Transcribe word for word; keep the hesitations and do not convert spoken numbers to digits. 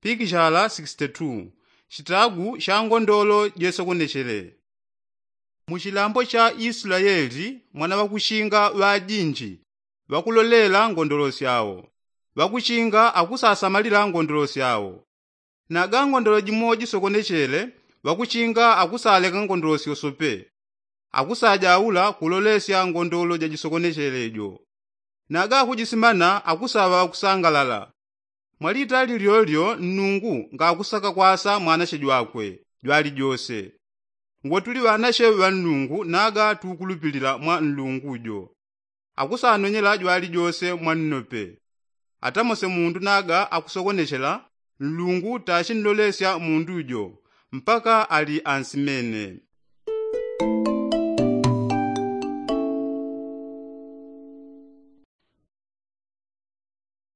Pikishala sixty-two. Chitagu cha ngondolo jesokonechele. Mu chilambo cha islayeli mwana ŵakuchinga ŵajinji ŵakulolela ngondolo syao. Ŵakuchinga akusasamalila ngondolo syao. Naga ngondolo jimo jisokonechele ŵakuchinga akusaleka ngondolo syosope. Akusajaula kulolesya ngondolo jajisokonechele jo. Naga akujisimana akusaŵa ŵakusangalala. Mwalitali lyolyo nnungu ngakusaka kwasa mwanache jwakwe jwalijose. Ngwatuli ŵanache ŵa nnungu naga tukulupilila mwa nnungu jo. Akusanonyela jwalijose mwa nnope. Atamose mundu naga akusokonechela nnungu tachinnolesya mundu jo mpaka ali ansimene.